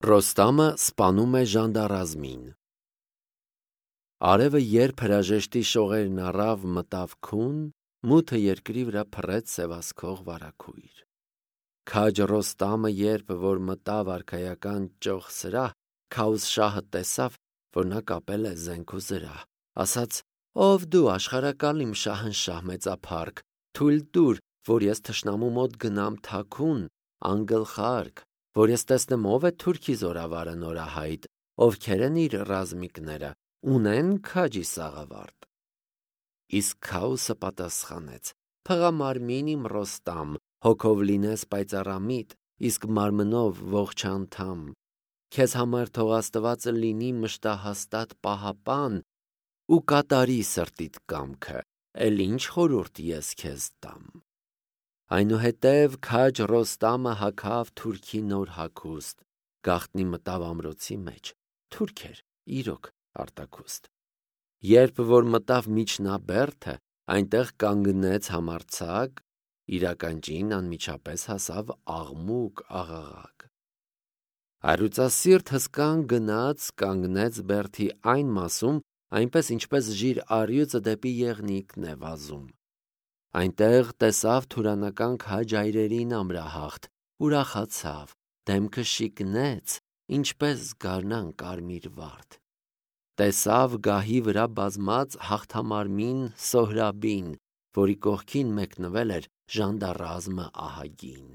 Ռոստամը սպանում է ժանդարազմին։ Արևը երբ հրաժեշտի շողերն առավ, մտավ քուն, մութը երկրի վրա փռեց սևասքող վարագույր։ Քաջ Ռոստամը երբ որ մտավ արքայական ճոխ սրահ, Քաուսշահը տեսավ, որ նա կապել է զենք ու զրահ, ասաց. «Ով դու աշխարհակալիմ շահնշահ մեծափառք, թույլ տուր, որ ես թշնամու մոտ գնամ թաքուն, անգլխարք, որ ես տեսնեմ ով է թուրքի զորավարը նորահայտ, ովքեր են իր ռազմիկները, ունեն քաջի սաղավարտ»։ Իսկ Քաուսը պատասխանեց. «Փղամարմին իմ Ռոստամ, հոգով լինես պայծառամիտ, իսկ մարմնով ողջ անդամ, քեզ համար թող Աստվածը լինի մշտահաստատ պահապան ու կատարի սրտիդ կամքը, էլ ինչ խորհուրդ ես քեզ տամ»։ Այնուհետև քաջ Ռոստամը հագավ թուրքի նոր հագուստ, գաղտնի մտավ ամրոցի մեջ, թուրք էր իրոք արտաքուստ։ Երբ որ մտավ միջնաբերդը, այնտեղ կանգնեց համարձակ, իր ականջին անմիջապես հասավ աղմուկ աղաղակ։ Առյուծասիրտ հսկան գնաց կանգնեց բերդի այն մասում, այնպես ինչպես ժիր առյուծը դեպի եղնիկն է վազում։ Այնտեղ տեսավ թուրանական քաջ այրերին ամրահաղթ, ուրախացավ, դեմքը շիկնեց, ինչպես գարնան կարմիր վարդ։ Տեսավ գահի վրա բազմած հաղթամարմին Սոհրաբին, որի կողքին մեկնվել էր ժանդարազմը ահագին։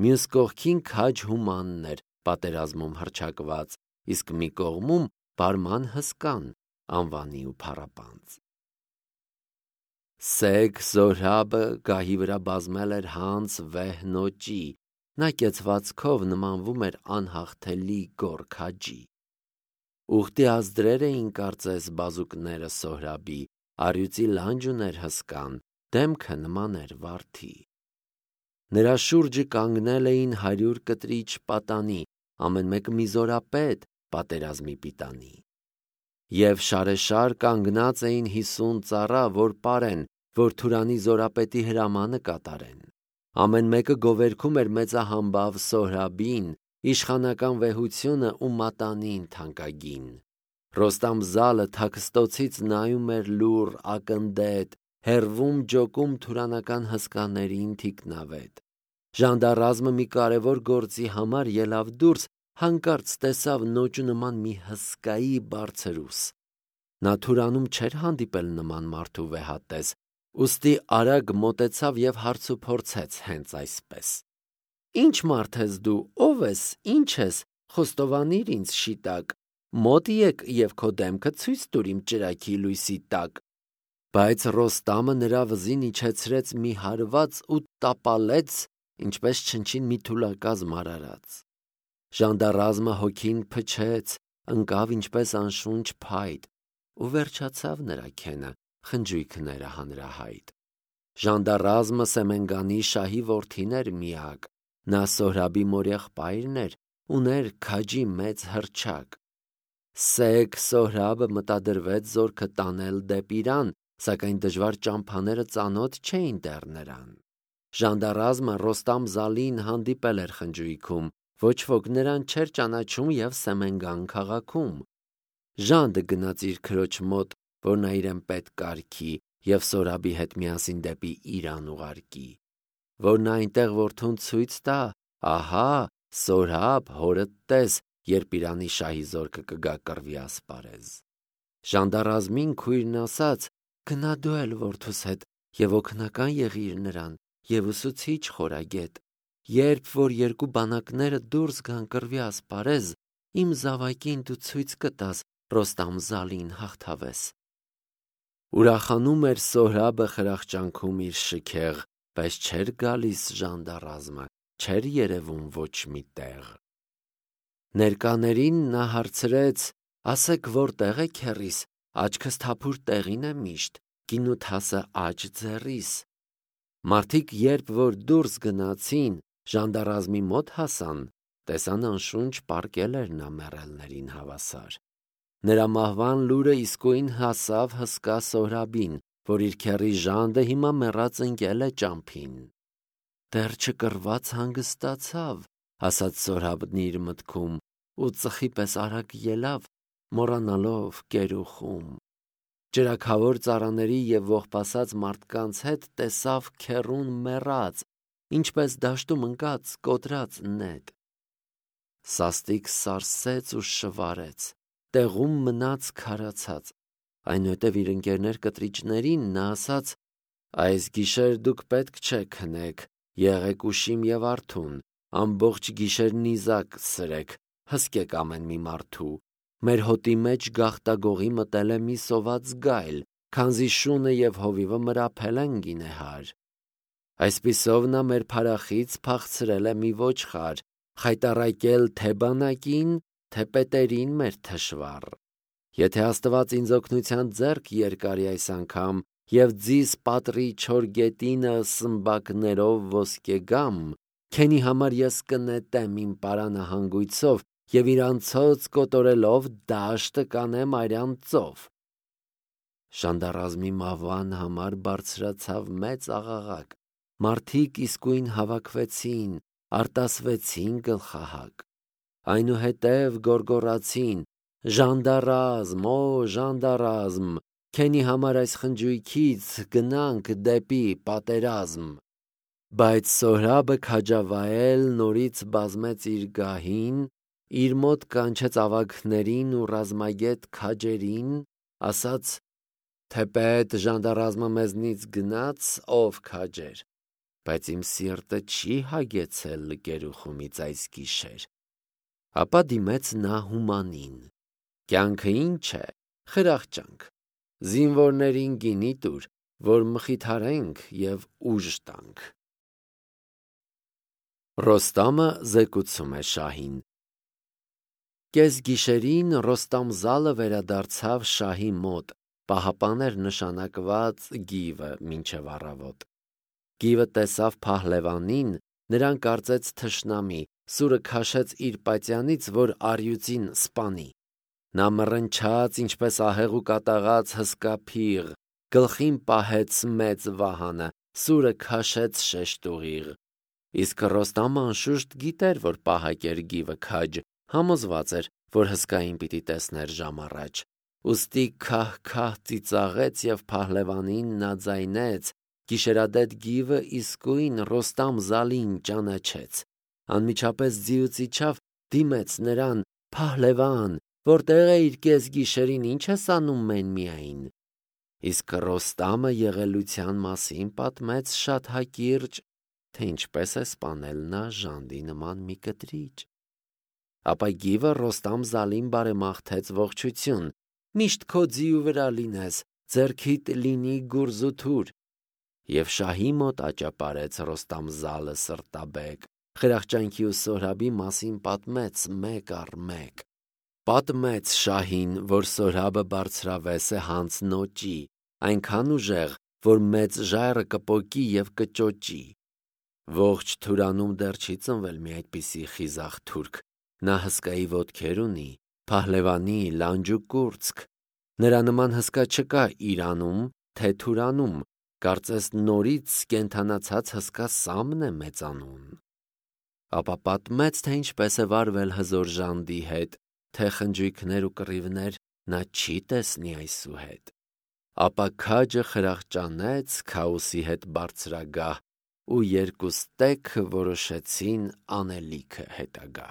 Մյուս կողքին քաջ Հումանն էր պատերազմում հռչակված, իսկ մի կողմում բարման հսկան, անվանի ու փառապանծ։ Սեգ Սոհրաբը գահի վրա բազմել էր հանց վեհ նոճի, նա կեցվածքով նմանվում էր անհաղթելի գոր քաջի։ Ուխտի ազդրեր էին կարծես բազուկները Սոհրաբի, առյուծի լանջ ուներ հսկան, դեմքը նման էր վարդի։ Նրա շուրջը կանգնել էին 100 կտրիչ պատանի, ամեն մեկը մի զորապետ պատերազմի պիտանի։ Եվ շարեշար կանգնած էին 50 ծառա, որ պարեն, որ Թուրանի զորապետի հրամանը կատարեն։ Ամեն մեկը գովերգում էր մեծահամբավ Սոհրաբին, իշխանական վեհությունը ու մատանին թանկագին։ Ռոստամ զալը թաքստոցից նայում էր լուռ ակնդետ, հեռվում ջոկում թուրանական հսկաներին թիկնավետ։ Ժանդարազմը մի կարևոր գործի համար ելավ դուրս, հանկարծ տեսավ նոճու նման մի հսկայի բարձրուս։ Նա Թուրանում չէր հանդիպել նման մարդու վեհատես, ուստի արագ մոտեցավ և հարցուփորձեց հենց այսպես. «Ինչ մարդ ես դու, ով ես, ինչ ես, խոստովանիր ինձ շիտակ, մոտ եկ և քո դեմքը ցույց տուր իմ ճրագի լույսի տակ»։ Բայց Ռոստամը նրա վզին իջեցրեց մի հարված ու տապալեց, ինչպես չնչին մի թուլակազմ արարած։ Ժանդարազմը հոգին փչեց, ընկավ ինչպես անշունչ փայտ, ու վերջացավ նրա քենը, խնջույքները հանրահայտ։ Ժանդարազմը Սեմենգանի շահի որդին էր միակ, նա Սոհրաբի մորեղբայրն էր, ուներ քաջի մեծ հռչակ։ Սեգ Սոհրաբը մտադրվեց զորքը տանել դեպի Իրան, սակայն դժվար ճամփաները ծանոթ չէին դեռ նրան։ Ժանդարազմը Ռոստամ Զալին հանդիպել էր խնջույքում, ոչ ոք նրան չէր ճանաչում և Սեմենգան քաղաքում։ Ժանդը գնաց իր քրոջ մոտ, որ նա իրեն պետք կարգի և Սոհրաբի հետ միասին դեպի Իրան ուղարկի, որ նա այնտեղ որդուն ցույց տա, ահա Սոհրաբ հորդ տես, երբ Իրանի շահի զորքը կգա կռվի ասպարեզ։ Ժանդարազմին քույրն ասաց. «Գնա դու էլ որդուս հետ և օգնական եղիր նրան և ուսուցիչ խորագետ, երբ որ երկու բանակները դուրս գան կռվի ասպարեզ, իմ զավակին դու ցույց կտաս Ռոստամ Զալին հաղթավես»։ Ուրախանում էր Սոհրաբը խրախճանքում իր շքեղ, բայց չէր գալիս ժանդարազմը, չէր երևում ոչ մի տեղ։ Ներկաներին նա հարցրեց. «Ասեք, որտեղ է քեռիս, աչքս թափուր տեղին է միշտ, գինուդ հասը աջ ձեռիս»։ Մարդիկ երբ որ դուրս գնացին, ժանդարազմի մոտ հասան, տեսան անշունչ պառկել էր նա մեռելներին հավասար։ Նրա մահվան լուրը իսկույն հասավ հսկա Սոհրաբին, որ իր քեռի Ժանդը հիմա մեռած ընկել է ճամփին։ Դեռ չկռված հանգստացավ, ասաց Սորհաբն իր մտքում, ու ծխի պես արագ ելավ, մոռանալով կերուխում։ Ճրագավոր ծառաների և ողբասած մարդկանց հետ տեսավ քեռուն մեռած, ինչպես դաշտում ընկած կոտրած նետ։ Սաստիկ սարսեց ու շվարեց, տեղում մնաց քարացած։ Այնուհետև իր ընկերներ կտրիճներին նա ասաց. «Այս գիշեր դուք պետք չէ քնեք, եղեք ուշիմ և արթուն, ամբողջ գիշեր նիզակ սրեք, հսկեք ամեն մի մարդու։ Մեր հոտի մեջ գաղտագողի մտել է մի սոված գայլ, քանզի շունը և հովիվը մրափել են գինեհար։ Այսպիսով նա մեր փարախից փախցրել է մի ոչխար, խայտառակել թե բանակին, թե պետերին մեր թշվառ։ Եթե Աստված ինձ օգնության ձեռք երկարի այս անգամ և ձիս պատռի չոր գետինը սմբակներով ոսկեգամ, քենի համար ես կնետեմ իմ պարանը հանգույցով և իր անցոց կոտորելով դաշտը կանեմ արյան ծով»։ Ժանդառազմի մահվան համար բարձրացավ մեծ աղաղակ։ Մարդիկ իսկույն հավաքվեցին, արտասվեցին գլխահակ։ Այնուհետև գոռգոռացին. «Ժանդառազմ, օ ժանդառազմ, քենի համար այս խնջույքից գնանք դեպի պատերազմ»։ Բայց Սորհաբը քաջավայել նորից բազմեց իր գահին, իր մոտ կանչեց ավագներին ու ռազմագետ քաջերին, ասաց. «Թեպետ ժանդառազմը մեզնից գնաց, ով քաջեր, բայց իմ սիրտը չի հագեցել գերուխումից այս գիշեր»։ Ապա դիմեց նա Հումանին. «Կյանքը ի՞նչ է, խրախճանք, զինվորներին գինի տուր, որ մխիթարենք և ուժ տանք»։ Ռոստամը զեկուցում է շահին։ Կեսգիշերին Ռոստամ-Զալը վերադարձավ շահի մոտ, պահապան էր նշանակված գիվը մինչև առավոտ։ Գիվը տեսավ փահլևանին, նրան կարծեց թշնամի, սուրը քաշեց իր պատյանից, որ առյուծին սպանի։ Նա մռնչաց, ինչպես ահեղ ու կատաղած հսկա փիղ, գլխին պահեց մեծ վահանը, սուրը քաշեց շեշտուղիղ։ Իսկ Ռոստամը անշուշտ գիտեր, որ պահակ էր գիվը քաջ, համոզված էր, որ հսկային պիտի տեսներ ժամ առաջ։ Ուստի քահ-քահ ծիծաղեց և փահլևանին նա ձայնեց, գիշերադեդ գիվը իսկույն Ռոստամ-Զալին ճանաչեց։ Անմիջապես ձիուց իջավ, դիմեց նրան. «Փահլևան, որտե՞ղ էիր կեսգիշերին, ինչ ես անում մեն-միայն»։ Իսկ Ռոստամը եղելության մասին պատմեց շատ հակիրճ, թե ինչպես է սպանել նա ժանդի նման մի կտրիճ։ Ապա գիվը Ռոստամ-Զալին բարեմաղթեց ողջություն. «Միշտ քո ձիու վրա լինես, ձեռքիդ լինի գուրզ ու թուր»։ Եվ շահի մոտ աճապարեց Ռոստամ-Զալը սրտաբեկ, խրախճանքի ու Սորհաբի մասին պատմեց մեկ առ մեկ։ Պատմեց շահին, որ Սորհաբը բարձրավես է հանց նոճի, այնքան ուժեղ, որ մեծ ժայռը կպոկի և կճոճի։ Ողջ Թուրանում դեռ չի ծնվել մի այդպիսի խիզախ թուրք։ Նա հսկայի ոտքեր ունի, փահլևանի լանջուկուրծք։ Նրա նման հսկա չկա Իրանում, թե Թուրանում, կարծես նորից կենդանացած հսկա Սամն է մեծանուն։ Ապա պատմեց, թե ինչպես է վարվել հզոր ժանդի հետ, թե խնջույքներ ու կռիվներ նա չի տեսնի այսուհետ։ Ապա քաջը խրախճանեց Քաոսի հետ բարձրագահ, ու երկուստեք որոշեցին անելիքը հետագա։